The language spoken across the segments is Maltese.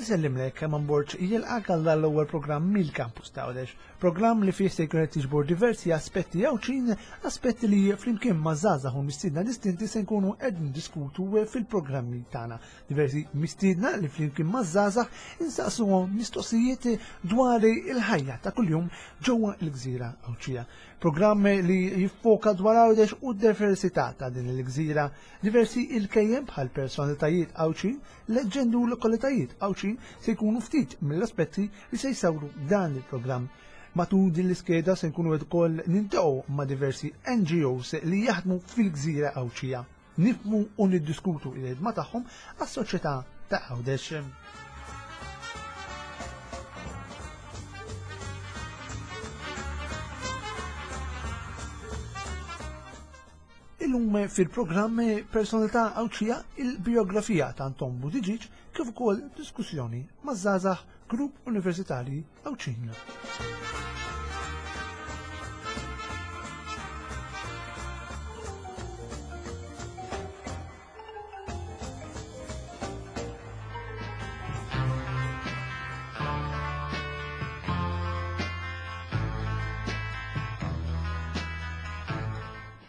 Insellimlek Herman Borg jilqak għal dan l-ewwel programm mill-Campus ta' Għawdex. Programm li fih se jkun qed jiġbor diversi aspetti Għawdxin, aspetti li flimkien ma' żgħażagħ u mistiedna distinti se nkunu qed niddiskutu fil-programmi tagħna. Diversi mistiedna li flimkien ma' żgħażagħ insaqsuhom mistoqsijiet dwar il-ħajja ta' kuljum ġewwa l-gżira Għawdxija. Programm li jiffoka dwar Għawdex u d-diversità ta' din il-gżira. Diversi il-kejjem bħal personalitajiet Għawdxin Leġġendi u lokalitajiet Għawdxin se jkunu ftit mill-aspetti li se jsawru dan il-programm. Matul din l-iskeda se nkunu qed ukoll niltaqgħu ma' diversi NGOs li jaħdmu fil-gżira Għawdxija. Nifhmu u niddiskutu il-ħidma tagħhom għas-soċjetà ta' Għawdex. Illum fil-programm Personalità Għawdxija il-bijografija ta' Anton Buttigieg kif ukoll diskussjoni maż-żgħażagħ Grupp Universitarji Għawdxin.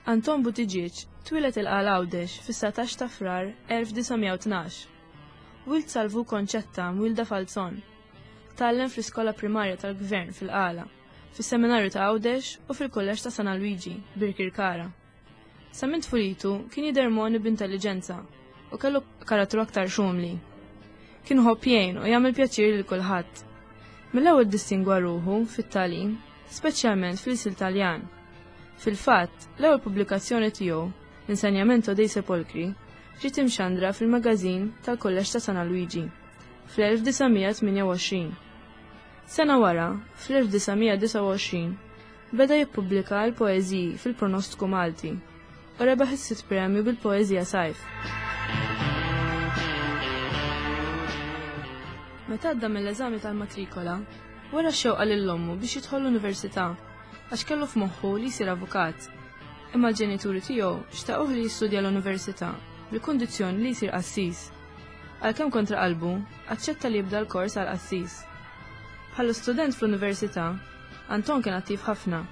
Anton Buttigieg twieled il-Qala Għawdex fis-19 ta' Frar 1912. Wild Salvu Konċetta mwielda Falzon. Tgħallem fl-iskola primarja tal-Gvern fil-Qala, fis-Seminarju ta' Għawdex u fil-Kulleġġ ta' San Alwiġi, Birkirkara. Sa minn tfulitu kien jidher mogħni b'intelliġenza u kellu karattru aktar xumli. Kien ħobb jgħin u jagħmel pjaċir lil kulħadd. Mill-ewwel ddistingwa ruħu fit-tagħlim, speċjalment fl-ilsil Taljan. Fil-fatt, l-ewwel pubblikazzjoni tiegħu, L-Insegnamento dei Sepolcri, ġiet imxandra fil-magażin tal-Kulleġġ ta' San Alwiġi fl-1928. Sena wara, fl-1929, beda jippubblika l-poeżiji fil-Pronostku Malti u rebaħ is-sitt premju bil-poeżija Sajf. Meta għadda mill-eżami tal-matrikola, wera x-xewqa lil ommu biex jidħol l-università għax kellu f'moħħu li jsir avukat. Imma l-ġenituri tiegħu xtaquh li jistudja l-università bil-kundizzjoni li jsir qassis. Għalkemm kontra qalbu, aċċetta li jibda l-kors għal qassis. Bħala student fl-università, Anton kien attiv ħafna.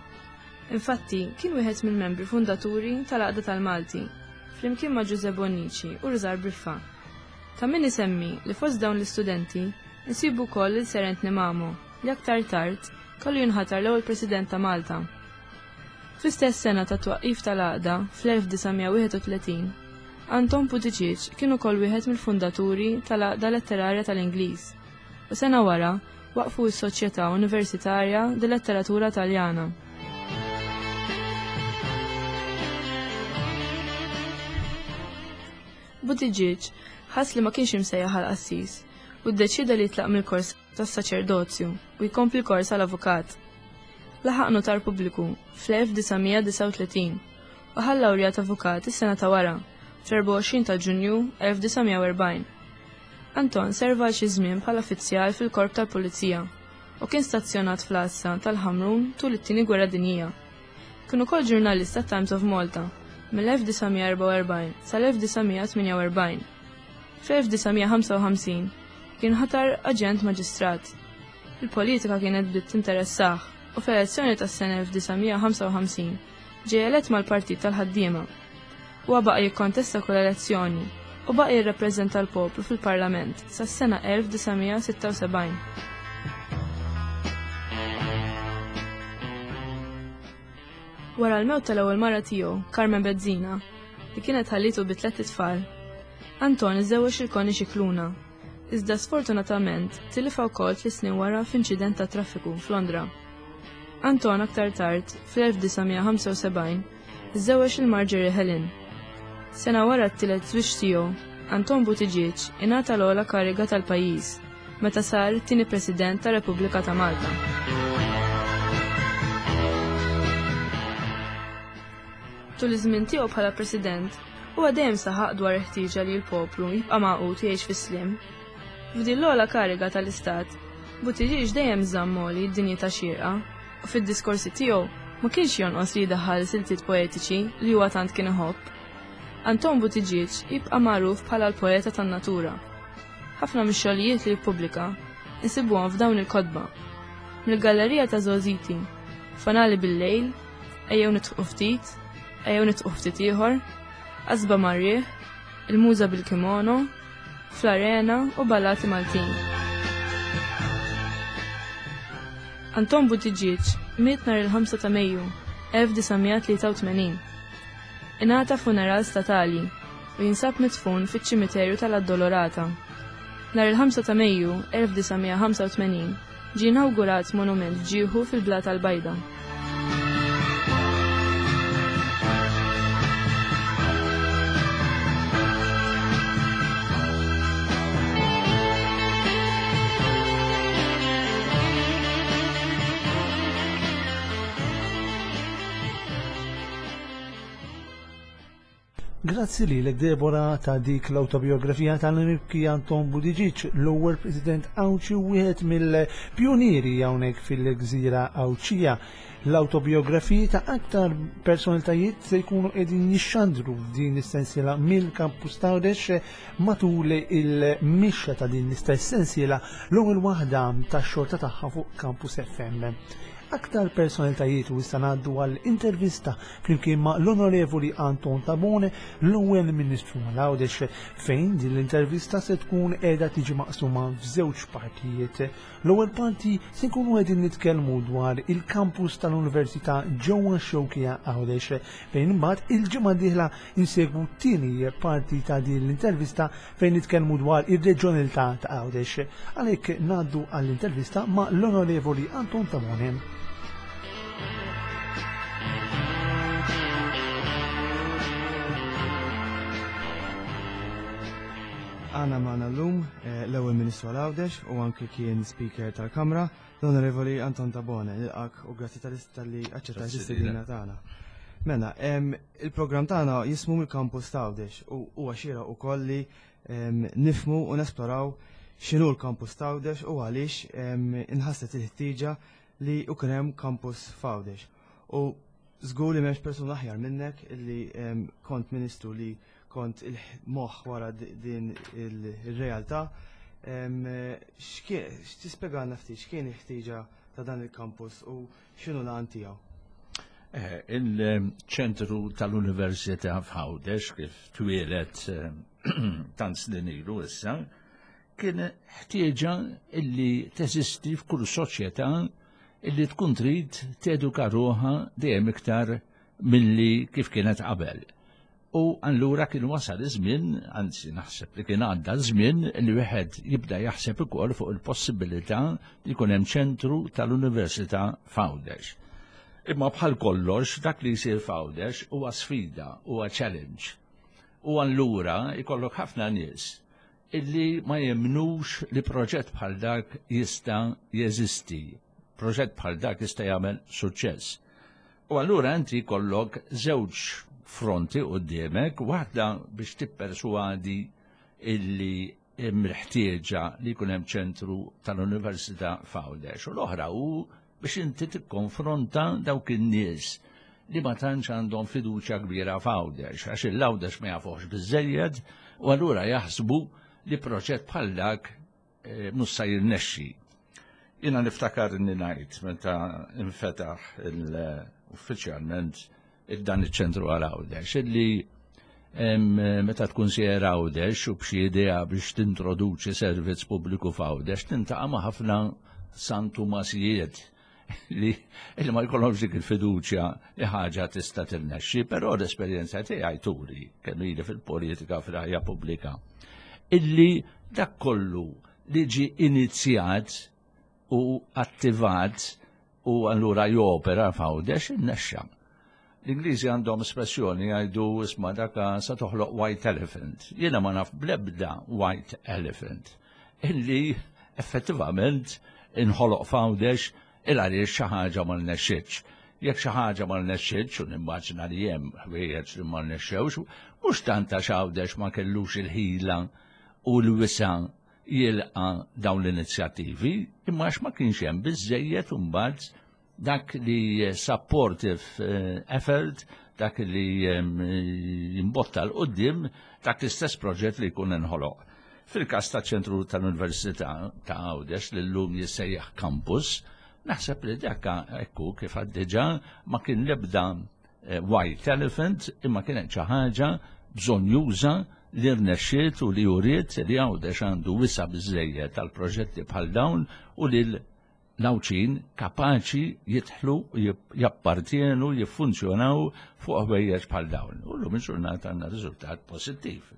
Infatti, kien wieħed mill-membri fundaturi tal-Għaqda tal-Malti, flimkien ma' Ġużè Bonnici u Rużar Briffa. Ta' min isemmi li fost dawn l-istudenti nsibu wkoll lil Sir Anthony Mamo li aktar tard kellu jinħatar l-ewwel President ta' Malta. Fl-istess sena tat-twaqqif tal-Għaqda, fl-1931, Anton Puticic kien ukoll wieħed mill-fundaturi tal-Għaqda Letterarja tal-Ingliż u sena wara waqqfu s-Soċjetà Universitarja di Letteratura Taljana. Buttigieg ħass li ma kienx imsejjaħ għal qassis u ddeċieda li jitlaq mill-kors tas-saċerdozju u jkompli kors għal avukat. Laħaq notar pubbliku fl-1939 u ħa l-lawrja ta' avukat is-sena ta' wara, fl-24 ta' Ġunju 1940. Anton serva għal xi żmien bħala fizzjal fil-Korp tal-Pulizija u kien stazzjonat fl-għassa tal-Ħamrun tul it-Tieni Gwerra Dinjija. Kien ukoll ġurnalist tat-Times of Malta mill-1944 sal-1948. Fl-1955 kien ħatar aġent maġistrat. Il-politika kienet bdiet tinteressah u fl-elezzjoni tas-sena 1955 ġie elett mal-Partit tal-Ħaddiema. Huwa baqa' jikkontesta kull elezzjoni u baqa' jirrappreżenta l-poplu fil-Parlament sas-sena 1976. Wara l-mewt tal-ewwel mara tiegħu, Carmen Bezzina, li kienet ħallitu bi tlett itfal, Anton iżżewweġ lil Connie Scicluna, iżda sfortunatament tilifha wkoll tliet snin wara f'inċident tat-traffiku f'Londra. Anton aktar tard, fl-1975, iżżewweġ lil Marjorie Helen. Sena wara t-tielet żwieġ tiegħu, Anton Buttigieg ingħata l-ogħla kariga tal-pajjiż meta sar it-tieni President tar-Repubblika ta' Malta. Tul iż-żmien tiegħu bħala President, huwa dejjem saħaq dwar il-ħtieġa li l-poplu jibqa' magħqud u jgħix fis-sliem. F'din l-ogħla kariga tal-Istat, Buttigieg dejjem żamm għoli d-dinjità xierqa u fid-diskorsi tiegħu ma kienx jonqos li jdaħħal siltiet poetiċi li huwa tant kien iħobb. Anton Buttigieg jibqa' magħruf bħala l-poeta tan-natura. Ħafna mix-xogħlijiet li ppubblika insibuhom f'dawn il-kotba. Mill-Gallerija ta' Żgħożiti, Fanali bil-Lejl, Ejjew Nidħqu Ftit, Ejjew Nidħqu Ftit Ieħor, Qasba mar-Riħ, Il-Muża bil-Kimono, Fl-Arena u Ballati Maltin. Anton Buttigieg miet nhar il-5 ta' Mejju 1983. Ingħata funeral statali u jinsab midfun fiċ-ċimiterju tal-Addolorata. Nhar il-5 ta' Mejju 1985 ġie inawgurat monument f'ġieħu fil-Blata l-Bajda. Grazzi lilek Deborah ta' dik l-awtobiografija tal-Mibki Anton Buttigieg, l-ewwel President Għawdxi u wieħed mill-pjunieri hawnhekk fil-gżira Għawdxija. L-awtobiografiji ta' aktar personalitajiet se jkunu qegħdin jixxandru f'din is-sensiela mill-Campus t'Għawdex matul il-mixja ta' din l-istess sensiela l-ewwel waħda tax-xorta tagħha fuq Campus FM. Aktar personalitajiet u issa ngħaddu għal intervista flimkien ma' l-Onorevoli Anton Tabone, l-ewwel Ministru għal Għawdex, fejn din l-intervista se tkun qiegħda tiġi maqsuma f'żewġ partijiet. L-ewwel parti se nkunu qegħdin nitkellmu dwar il-kampus tal-Università ġewwa x-Xewkija Għawdex, fejn imbagħad il-ġimgħa d-dieħla insegwu t-tieni parti ta' din l-intervista fejn nitkellmu dwar ir-reġjonalità ta' Għawdex. Għalhekk ngħaddu għall-intervista ma' l-Onorevoli Anton Tabone. Għana maħna l-lum eh, l-ewwel Ministru għal Għawdex u anki kien Speaker tal-Kamra, l-Onorevoli Anton Tabone, nilqak u grazzi tal-li aċċettajt l-istedina tagħna. Mela, il-programm tagħna jismu mill-Campus ta' Għawdex u huwa xieraq ukoll li nifhmu u nesploraw x'inhu l-Campus ta' Għawdex u għaliex inħasset il-ħtieġa li jkun hemm campus f'Għawdex. U żgur li m'hemmx persuna aħjar minnek li kont ministru li kont il-moħħ wara din il-realtà. X'tispjegalna ftit x'kien il-ħtieġa ta' dan il-campus u x'inhu l-għan tiegħu? Eh, il-ċentru tal-Università f'Għawdex kif twieled eh, tant snin ilu issa, kien ħtieġa illi teżisti f'kull soċjetà illi tkun trid teduka ruħha dejjem iktar milli kif kienet qabel. U allura kien wasal iż-żmien, anzi naħseb li kien għadda ż-żmien li wieħed jibda jaħseb ukoll fuq il-possibilità li jkun hemm ċentru tal-Università f'Għawdex. Imma bħal kollox dak li jsir f'Għawdex huwa sfida, huwa challenge. U allura jkollok ħafna nies illi ma jemmnux li proġett bħal dak jista' jeżisti, proġett bħal dak jista' jagħmel suċċess. U allura inti jkollok żewġ fronti quddiemek, waħda biex tipperswadi illi hemm il-ħtieġa li jkun hemm ċentru tal-Università f'Għawdex, u l-oħra hu biex inti tikkonfronta dawk in-nies li ma tantx għandhom fiduċja kbira f'Għawdex, għax il-Għawdex ma jafuhx biżżejjed u allura jaħsbu li proġett bħal dak eh, mhux se jirnexxi. Jiena niftakar inni ngħid meta infetaħ uffiċjalment dan iċ-ċentru għal Għawdex illi meta tkun sejjer Għawdex u b'xi idea biex tintroduċi servizz pubbliku f'Għawdex tintaqa' ma' ħafna santumasijiet li li ma jkollhomx dik il-fiduċja li ħaġa tista' tirnexxi, però l-esperjenza tiegħi turi kemm ili fil-politika fil-ħajja pubblika illi dak kollu li ġie inizjat u attivat u allura jopera f'Għawdex innexxa. L-Ingliżi għandhom espressjoni jgħidu isma' daka sa toħloq white elephant. Jiena ma naf bl-ebda white elephant illi effettivament inħoloq f'Għawdex il għaliex xi ħaġa ma rnexxietx. Jekk xi ħaġa ma rnexxietx u nimmaġina li hemm ħwejjeġ li ma rnexxewx, mhux tant għax Għawdex ma kellux il-ħila u l-wisa' jilqa' dawn l-inizjattivi, imma għax ma kienx hemm biżżejjed imbagħad dak li supportive eh, effort, dak li jimbotta l-qoddim, dak l-istess proġett li jkun inħoloq. Fil-każ taċ-ċentru tal-Università ta' Għawdex li llum jissejjaħ campus, naħseb li dak ekku kif għad diġà ma kien l-ebda eh, white elephant imma kienet xi ħaġa bżonjuża li rnexxiet u li uriet li Għawdex għandu wisa' biżżejjed tal-proġetti bħal dawn u li l-Għawdxin kapaċi jidħlu, jappartjenu, jiffunzjonaw fuq ħwejjeġ bħal dawn. U llum il-ġurnata għandna riżultat pożittiv.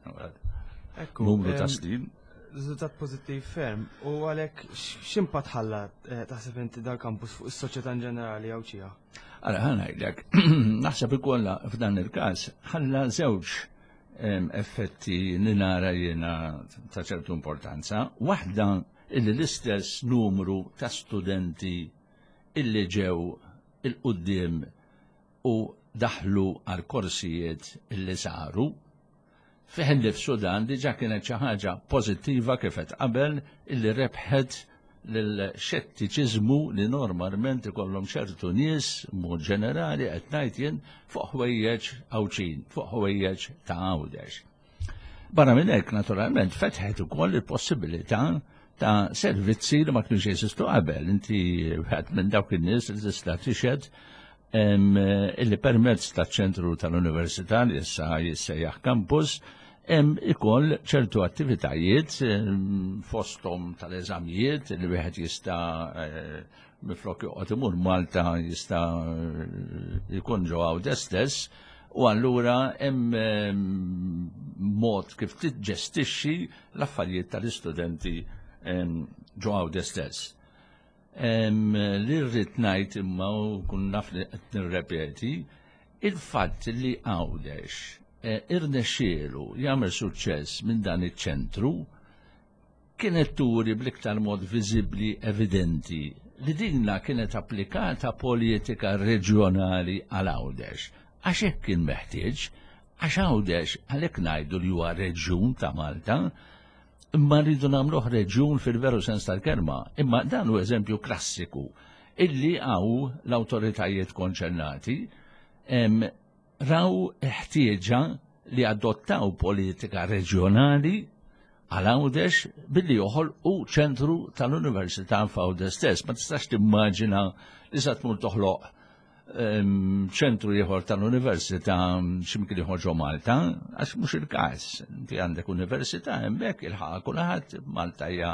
Ekku, Numru ta' snin. Riżultat pożittiv ferm. U għalhekk x'impatt ħalla eh, taħseb inti dal-kampus fuq is-soċjetà in ġenerali Għawdxija? Ara ħa ngħidlek, naħseb ikollha f'dan il-każ ħalla żewġ effetti li nara jiena ta' ċertu importanza. Waħda illi l-istess numru ta' studenti illi ġew 'il quddiem u daħlu għal korsijiet illi saru, fih innifsu dan diġà kienet xi ħaġa pożittiva kif għedt qabel illi rebħet lill-xettiċiżmu li normalment ikollhom ċertu nies mod ġenerali qed ngħid jien fuq ħwejjeġ Għawdxin, fuq ħwejjeġ ta' Għawdex. Barra minn hekk, naturalment, fetħet ukoll il-possibilità ta' servizzi li ma kienx jeżistu qabel. Inti wieħed minn dawk in-nies li tista' tixhed illi permezz taċ-ċentru tal-Università li issa jissejjaħ campus hemm ikoll ċertu attivitajiet fosthom tal-eżamijiet li wieħed jista' eh, Minflok joqgħod imur Malta jista' jkun ġo Għawdex stess u allura hemm ehm, mod kif tiġġestixxi l-affarijiet tal-istudenti ehm, ġo Għawdex stess. Ehm, li rrid ngħid imma u kun naf li qed nirrepeti, il-fatt li Għawdex eh, irnexxielu jagħmel suċċess minn dan iċ-ċentru kienet turi bl-iktar mod viżibbli evidenti li dinna kienet applikata politika reġjonali għal Għawdex. Għax hekk kien meħtieġ, għax Għawdex għalhekk ngħidu li huwa reġjun ta' Malta, imma rridu nagħmluh reġjun fil-veru sens tal-kelma, imma dan hu eżempju klassiku illi għaw l-awtoritajiet konċernati raw ħtieġa li adottaw politika reġjonali għal Għawdex billi joħolqu ċentru tal-Università f'Għawdex stess. Ma tistax timmaġina li sa tmur toħloq ehm, ċentru ieħor tal-università x'imkien ieħor ġo Malta, għax mhux il-każ. Inti għandek università hemmhekk il-ħaqa kulħadd Malta hija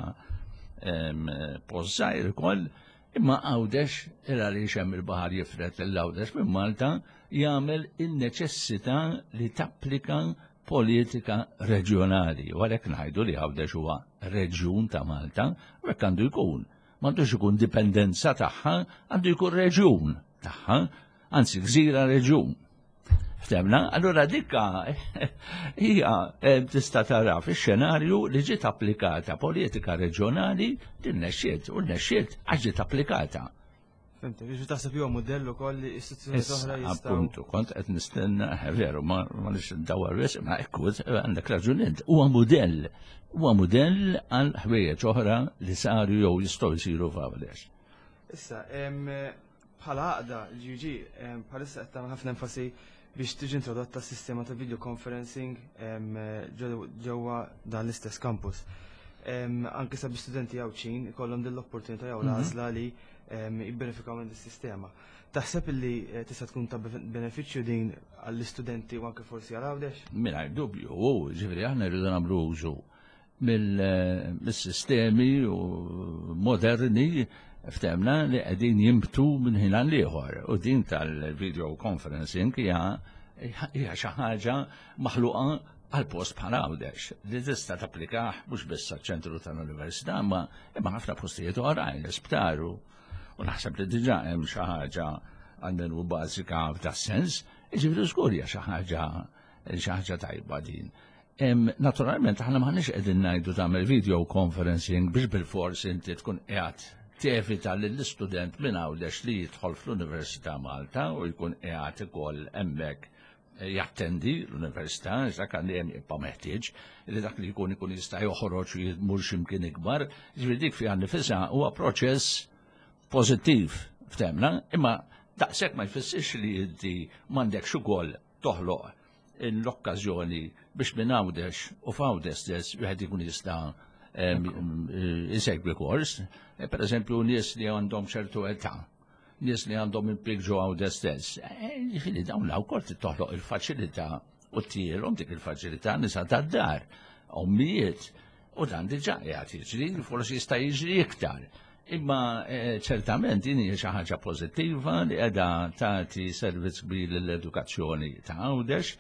ehm, post żgħir ukoll, Imma Għawdex, il għaliex hemm il-baħar jifred lil Għawdex minn Malta, jagħmel in-neċessità li tapplika politika reġjonali. U għalhekk ngħidu li Għawdex huwa reġjun ta' Malta, u hekk għandu jkun. M'għandux ikun dipendenza tagħha, għandu jkun reġjun tagħha, anzi gżira reġjun. Ftemna, allura dikka hija eh, tista' tara fix-xenarju li ġiet applikata politika reġjonali din nexxiet u nexxiet għax ġiet applikata. Fimtek, biex taħseb jew modell ukoll li istituzzjoni oħra jistgħu. Appuntu, kont qed nistenna, eh, veru, ma nix dawar wisq, ma ekku għandek raġun int. Huwa mudell, huwa mudell għal ħwejjeġ oħra li saru jew jistgħu jsiru f'Għawdex. Issa, Bħala għaqda, l-GUG bħalissa qed tagħmel ħafna enfasi biex tiġi introdotta sistema ta' video conferencing ġewwa dan l-istess campus. Anke sabiex studenti Għawdxin ikollhom din l-opportunità jew l-għażla li jibbenefikaw minn dis-sistema. Taħseb li eh, tista' tkun ta' benefiċċju din għall-istudenti u anke forsi għal Għawdex? Mingħajr dubju, u ġifieri aħna rridu nagħmlu użu mill-sistemi moderni ftemna li qegħdin jimbtu minn ħin għal ieħor. U din tal-video conferencing hija hija xi ħaġa maħluqa għal post bħal Għawdex li tista' tapplikah mhux biss għaċ-ċentru tal-università imma imma ħafna postijiet oħrajn, l-isptar u naħseb li diġà hemm xi ħaġa għalmenu bażika f'das-sens, jiġifieri żgur hija xi ħaġa xi ħaġa tajba din. Naturalment, aħna maħniex qegħdin ngħidu tagħmel video conferencing biex bil-fors inti tkun qiegħed tevita lill-istudent minn Għawdex li jidħol fl-Università Malta u jkun qiegħed ukoll hemmhekk eh, jattendi l-università, dak għandi hemm jibqa' meħtieġ li dak li jkun ikun jista' joħroġ u jmur x'imkien ikbar, ġifieri dik fiha nifisha huwa proċess pożittiv ftemna, imma daqshekk ma jfissirx li inti m'għandekx ukoll toħloq. l-okkażjoni biex minn Għawdex u f'Għawdex stess wieħed ikun jista' isegwi kors. Per eżempju, nies li għandhom ċertu età, nies li għandhom impjieg ġo Għawdex stess. Jiġifieri dawn wkoll trid toħloq il-faċilità u ttielhom dik il-faċilità nisa tad-dar, ommijiet, u dan diġà qiegħed jiġri, forsi jista' jiġri iktar. Imma ċertament din hija xi ħaġa pożittiva li qiegħda tagħti servizz kbir lill-edukazzjoni ta' Għawdex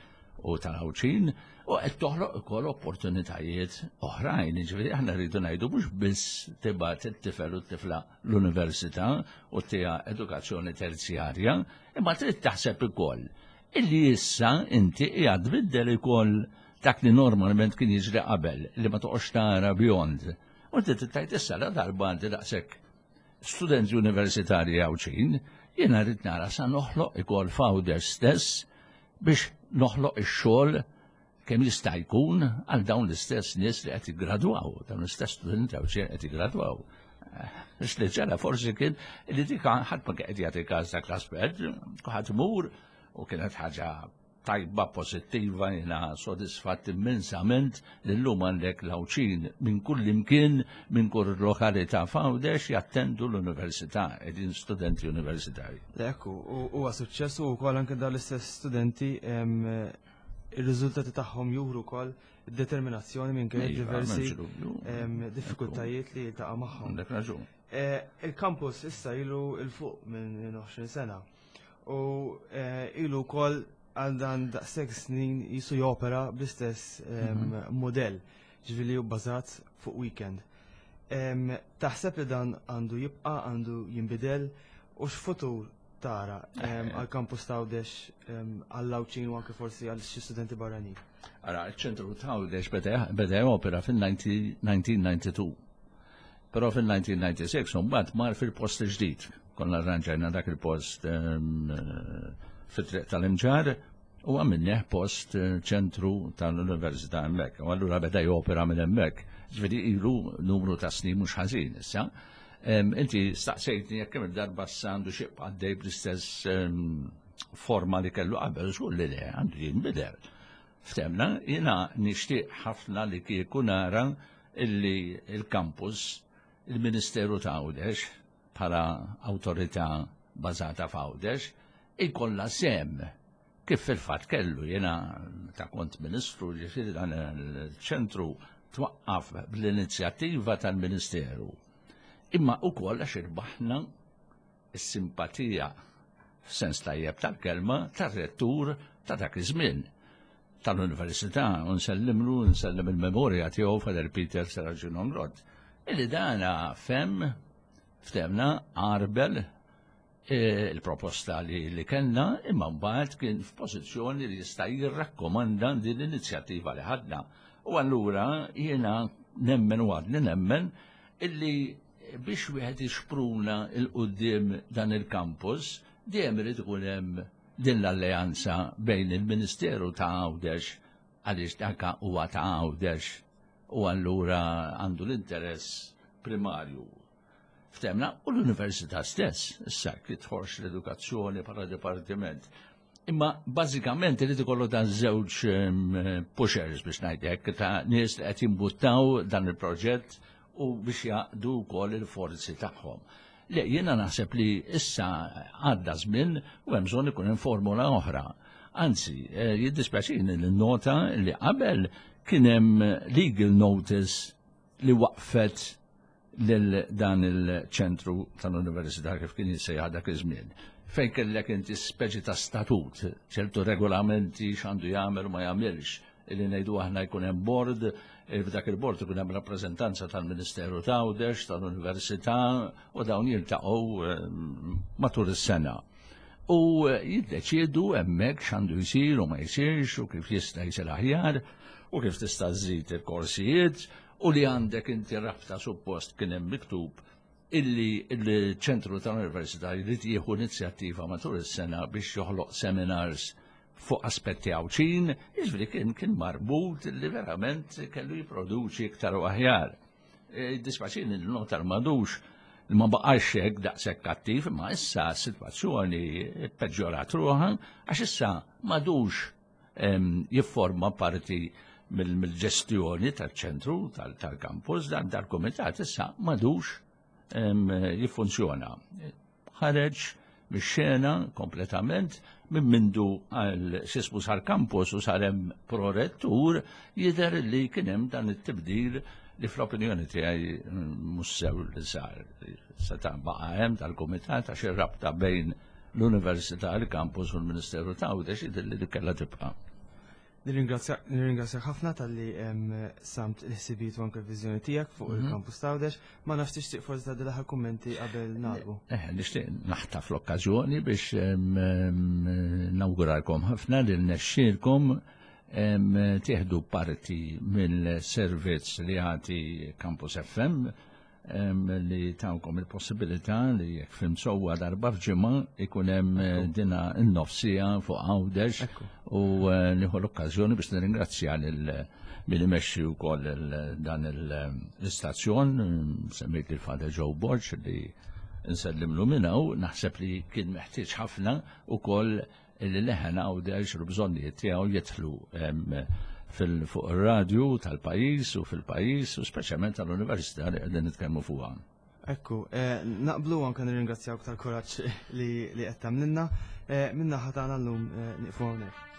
u tal-Għawdxin u qed toħloq ukoll opportunitajiet oħrajn. Jiġifieri aħna rridu ngħidu mhux biss tibgħat it-tifel u t-tifla l-università u tiha edukazzjoni terzjarja, imma trid taħseb ukoll illi issa inti qiegħed tbiddel ukoll dak li normalment kien jiġri qabel li ma toqgħodx tara beyond. U inti trid tgħid issa la darba għandi daqshekk studenti universitarji Għawdxin, jiena rrid nara sa noħloq ukoll f'Għawdex stess biex noħloq ix-xogħol kemm jista' jkun għal dawn l-istess nies li qed jiggradwaw, dawn l-istess studenti Għawdxin qed jiggradwaw. Biex li ġara forsi kien li dik ħadd ma qed jagħti każ dak l-aspett, ħadd imur u kienet ħaġa tajba, pożittiva, jiena sodisfatt immensament li llum għandek l-Għawdxin minn kull imkien, minn kull lokalità f'Għawdex jattendu l-università, qegħdin studenti universitarji. Ekku, huwa suċċess u wkoll anke dawn l-istess studenti ir-riżultati tagħhom juru wkoll determinazzjoni minn kien Iva, diversi m'hemmx dubju. diffikultajiet li jiltaqa' magħhom. Għandek raġun. Il-campus issa ilu 'l fuq minn 20 sena u ilu wkoll għal dan daqshekk snin jisu jopera bl-istess modell, ġifieri hu bbażat fuq weekend. Taħseb li dan għandu jibqa', għandu jinbidel u x'futur tara għal campus ta' Għawdex, għall-Għawdxin u anke forsi għal xi studenti barranin? Ara, il-ċentru ta' Għawdex beda jopera fil-1992. Però fil-1996 mbagħad mar fil-post ġdid. Konna arranġajna dak il-post fit-triq tal-Imġarr u għamilnieh post ċentru tal-Università hemmhekk. U allura beda jopera minn hemmhekk. Ġifieri ilu numru ta' snin mhux ħażin issa. Inti staqsejtni jekk kemm il-darba issa għandu xi għaddej bl-istess forma li kellu qabel, żgur li le, għandu jinbidel. Ftemna, jiena nixtieq ħafna li kieku nara illi il-campus, il-Ministeru ta' Għawdex, bħala awtorità bażata f'Għawdex, ikollha sem kif fil-fatt kellu. Jiena ta' kont ministru, ġifieri dan il-ċentru twaqqaf bl-inizjattiva tal-Ministeru. Imma ukoll għax irbaħna s-simpatija f'sens tajjeb tal-kelma tar-rettur ta' dak iż-żmien tal-Università, u nsellimlu, nsellem il-memorja tiegħu Father Peter Serracino Inglott. Illi dana fem, ftemna, għarbel il-proposta li kellna, imma mbagħad kien f'pożizzjoni li jista' jirrakkomanda din l-inizjattiva li ħadna. U allura jiena nemmen u għadni nemmen illi biex wieħed jixpruna 'l quddiem dan il-campus, dejjem irid ikun hemm din l-alleanza bejn il-Ministeru ta' Għawdex, għaliex dak huwa ta' Għawdex u allura għandu l-interess primarju. Ftemna, u l-Università stess, issa kif tħorx l-edukazzjoni bħala dipartiment. Imma bażikament irid ikollu dan żewġ pushers biex ngħidlek, ta' nies li qed jimbuttaw dan il-proġett u biex jaqdu wkoll il-forzi tagħhom. Le, jiena naħseb li issa għadda żmien u hemm bżonn ikun hemm formula oħra. Anzi, jiddispjaċini li nota li qabel kien hemm legal notice li waqfet lil dan il-ċentru tal-Università kif kien jissejjaħ dak iż-żmien. Fejn kellek inti speċi ta' statut, ċertu regolamenti x'għandu jagħmel u ma jagħmilx, illi ngħidu aħna jkun hemm board, f'dak il-board ikun hemm rappreżentanza tal-Ministeru ta' Għawdex, tal-Università, u dawn jiltaqgħu matul is-sena. U jiddeċiedu hemmhekk x'għandu jsir u ma jsirx u kif jista' jsir aħjar u kif tista' żżid il-korsijiet u li għandek inti rabta suppost kien hemm miktub illi il-ċentru tal-Università jrid jieħu inizjattiva matul is-sena biex joħloq seminars fuq aspetti Għawdxin, jiġifieri kien marbut li verament kellu jipproduċi iktar u aħjar. Dispaċini li notar madux li ma baqax hekk daqshekk kattiv, imma issa s-sitwazzjoni peġġorat ruħha għax issa madux jifforma parti mill-ġestjoni tal-ċentru tal-kampus, dan dal-kumitat issa madux jiffunzjona. Ħareġ mix-xena kompletament minn mindu għal xismu sar campus u sar hemm prorettur jidher li kien hemm dan it-tibdil li fl-opinjoni tiegħi mhux sew li sar. Seta' baqa' hemm tal-kumitat għax ir-rabta bejn l-Università, il-campus u l-Ministeru ta' Għawdex jidher li kellha tibqa'. Nirringrazzjak ħafna talli samt il-ħsibijiet u anke l-viżjoni tiegħek fuq mhm. il-kampus ta' Għawdex. Ma nafx tixtieq forsi tgħaddi l-aħħar kummenti qabel nagħlqu. Eh, nixtieq naħtaf l-okkażjoni biex nawguralkom ħafna li nexxielkom tieħdu parti mill-servizz li għati Campus FM li tawkom il-possibilità li jekk fim sewwa darba f'ġimgħa ikun hemm eh, dina n-nofsija fuq Għawdex u eh, nieħu l-okkażjoni biex nirringrazzja lil min imexxi wkoll dan l-istazzjon, semmejt lil Father Joe Borg li nsellimlu minn hawn, naħseb li kien meħtieġ ħafna ukoll Illi leħen Għawdex u l-bżonnijiet tiegħu jidħlu fuq ir-radju tal-pajjiż u fil-pajjiż u speċjalment tal-università li qegħdin nitkellmu fuqha. Ekku, eh, naqblu anke nirringrazzjawk tal-kuraġġ li qed tagħmlilna. Eh, minna ħatana llum eh, nieqfu hawnhekk.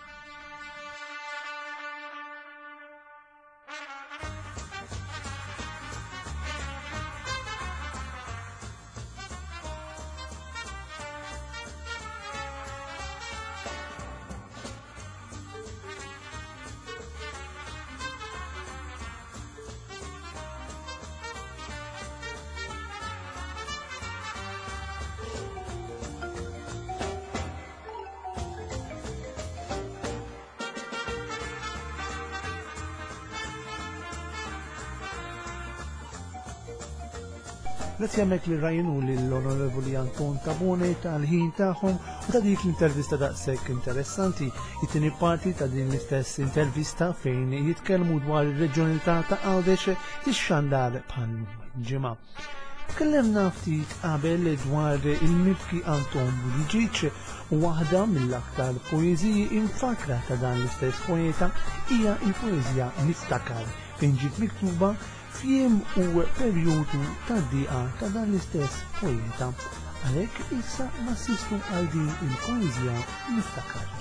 Grazzi għamek li rajnu l-Onorevoli Anton Tabone tal-ħin tagħhom u ta' dik l-intervista daqshekk interessanti. It-tieni parti ta' din l-istess intervista fejn jitkellmu dwar ir-reġjonalità ta' Għawdex tixxandar bħal ġimgħa. Tkellimna ftit qabel dwar il-mibki Anton Buttigieg u waħda mill-aktar poeżiji imfakkra ta' dan l-istess poeta hija l-poeżija Niftakar fejn ġiet miktuba f'jiem u perjodu ta' diqa ta' dan l-istess poeta. Għalhekk issa nassistu għal din il-poeżija Niftakar.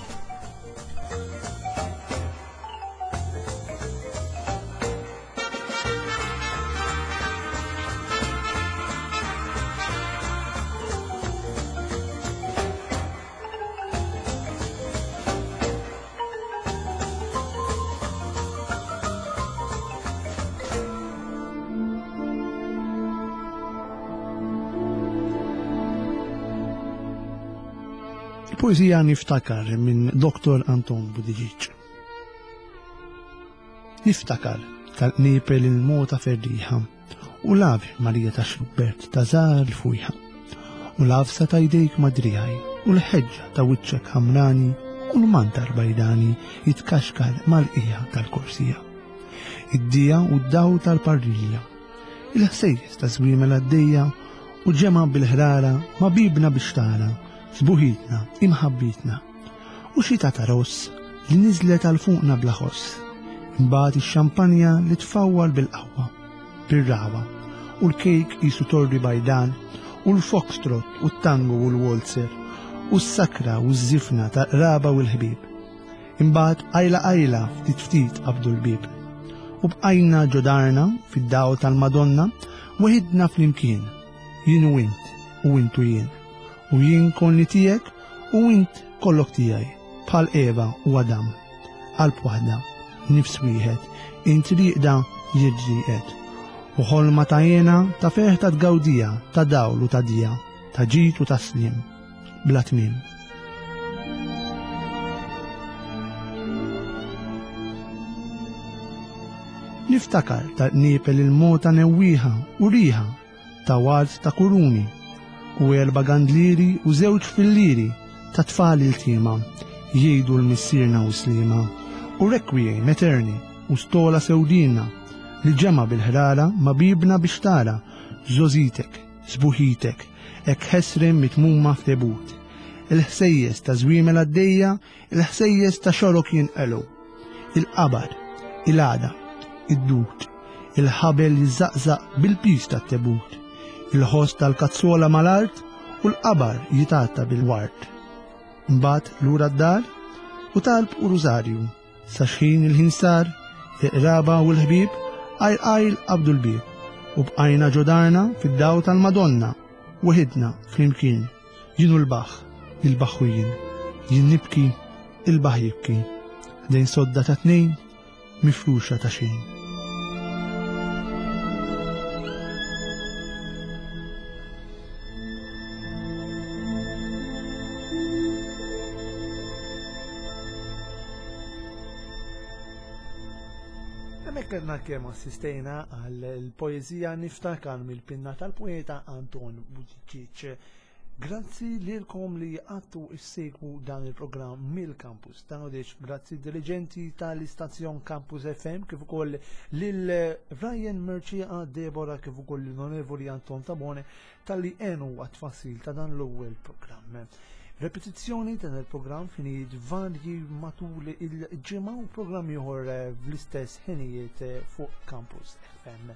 Il-poezija Niftakar minn Dr. Anton Budiġiċ. Niftakar tal-qniepel il-mota ferrieħa u l-Ave Marija ta' Xlubbert ta' żgħar il-fwieħa u l-għafsa ta' jdejk ma' driegħi u l-ħeġġa ta' wiċċek ħamrani u l-mantar bajdani jitkaxkar mal-qiegħa tal-korsija. Id-dija u d-dawl tal-parrilla, il-ħsejjes ta' żwiemel għaddejja u ġemgħa bil-ħrara ma' bibna biex tara sbuħitna, imħabbitna. U xita ta' ross li niżlet għal fuqna bla ħoss. Imbagħad ix-xampanja li tfawwal bil-qawwa, bir-ragħwa, u l-kejk qisu torri bajdan, u l-foxtrot u t-tango u l-waltzer, u s-sakra u ż-żifna tal-qraba u l-ħbieb. Imbagħad qajla qajla ftit ftit qabdu l-bieb. U bqajna ġo darna fid-dawl tal-Madonna weħidna flimkien, jien u int, u int u jien. U jien konni tiegħek u int kollok tiegħi, bħal Eva u Adam. Qalb waħda, nifs wieħed, int rieqda jien rieqed. U ħolma ta' hena, ta' ferħ ta' tgawdija, ta' dawl u ta' dija, ta' ġid u ta' sliem, bla tmiem. Niftakar tal-qniepel il-mota newwieħa u riħa ta' ward ta' kuruni u erba' gandlieri u żewġ fillieri ta' tfal iltiema jgħidu l-Missierna u Sliema u Requiem Aeterni u stola sewdina li ġemgħa bil-ħrara ma' bibna biex tara żgħożitek, sbuħitek, hekk ħesrem mitmuma f'tebut. Il-ħsejjes ta' żwiemel għaddejja, il-ħsejjes ta' xorok jinqelu. Il-qabar, il-għada, id-dud, il-ħabel jiżżaqżaq bil-piż tat-tebut, il-ħoss tal-kazzola mal-art u l-qabar jitgħatta bil-ward. Imbagħad lura d-dar u talb u rużarju sa xħin il-ħin sar, il-qraba u l-ħbieb għajl għajl qabdu l-bieb u bqajna ġo darna fid-dawl tal-Madonna weħidna flimkien. Jien u l-baħħ, il-baħħ u jien. Jien nibki, il-baħħ jibki. Ħdejn sodda ta' tnejn, mifruxa ta' xejn. Hemmhekk għadna kemm assistejna għal poeżija Niftakar mill-pinna tal-poeta Anton Buttigieg. Grazzi lilkom li għattu issegwu dan il-programm mill-campus ta' Għawdex. Grazzi diligenti tal-istazzjon Campus FM kif ukoll lil Ryan Merċieqa, Deborah kif ukoll l-Onorevoli Anton Tabone talli għenu għat-tfassil ta' dan l-ewwel programm. Repetizzjoni ta' dan il-programm f'ħinijiet varji matul il-ġimgħa u programm ieħor fl-istess ħinijiet fuq Campus FM.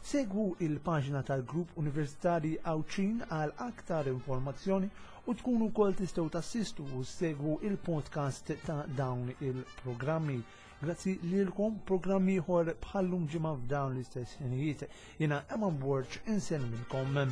Segwu il-paġna tal-Grupp Universitari Għawdxin għal aktar informazzjoni u tkunu wkoll tistgħu tassistu u segwu il-podcast ta' dawn il-programmi. Grazzi lilkom programm ieħor bħallum ġimgħa f'dawn l-istess ħinijiet. Jiena Eman Borg insellmilkom.